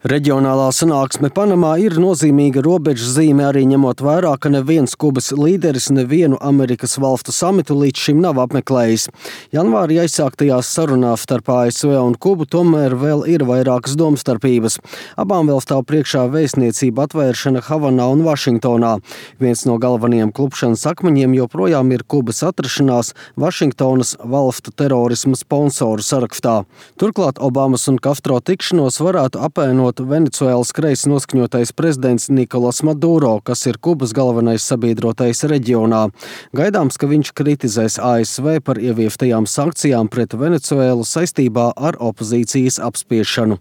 Reģionālā sanāksme Panamā ir nozīmīga robežzīme, arī ņemot vērā, ka neviens Kubas līderis nevienu Amerikas valstu samitu līdz šim nav apmeklējis. Janvārī aizsāktajās sarunās starp ASV un Kubu tomēr vēl ir vairākas domstarpības. Abām vēl stāv priekšā vēstniecība atvēršana Havanā un Vašingtonā. Viens no galvenajiem klupšanas akmeņiem joprojām ir Kubas atrašanās Vašingtonas valstu terorisma sponsoru sarakstā. Turklāt Obamas un Castro tikšanos varētu apēnot Venecuēlas kreisi noskaņotais prezidents Nikolas Maduro, kas ir Kubas galvenais sabiedrotais reģionā. Gaidāms, ka viņš kritizēs ASV par ieviestajām sankcijām pret Venecuēlu saistībā ar opozīcijas apspiešanu.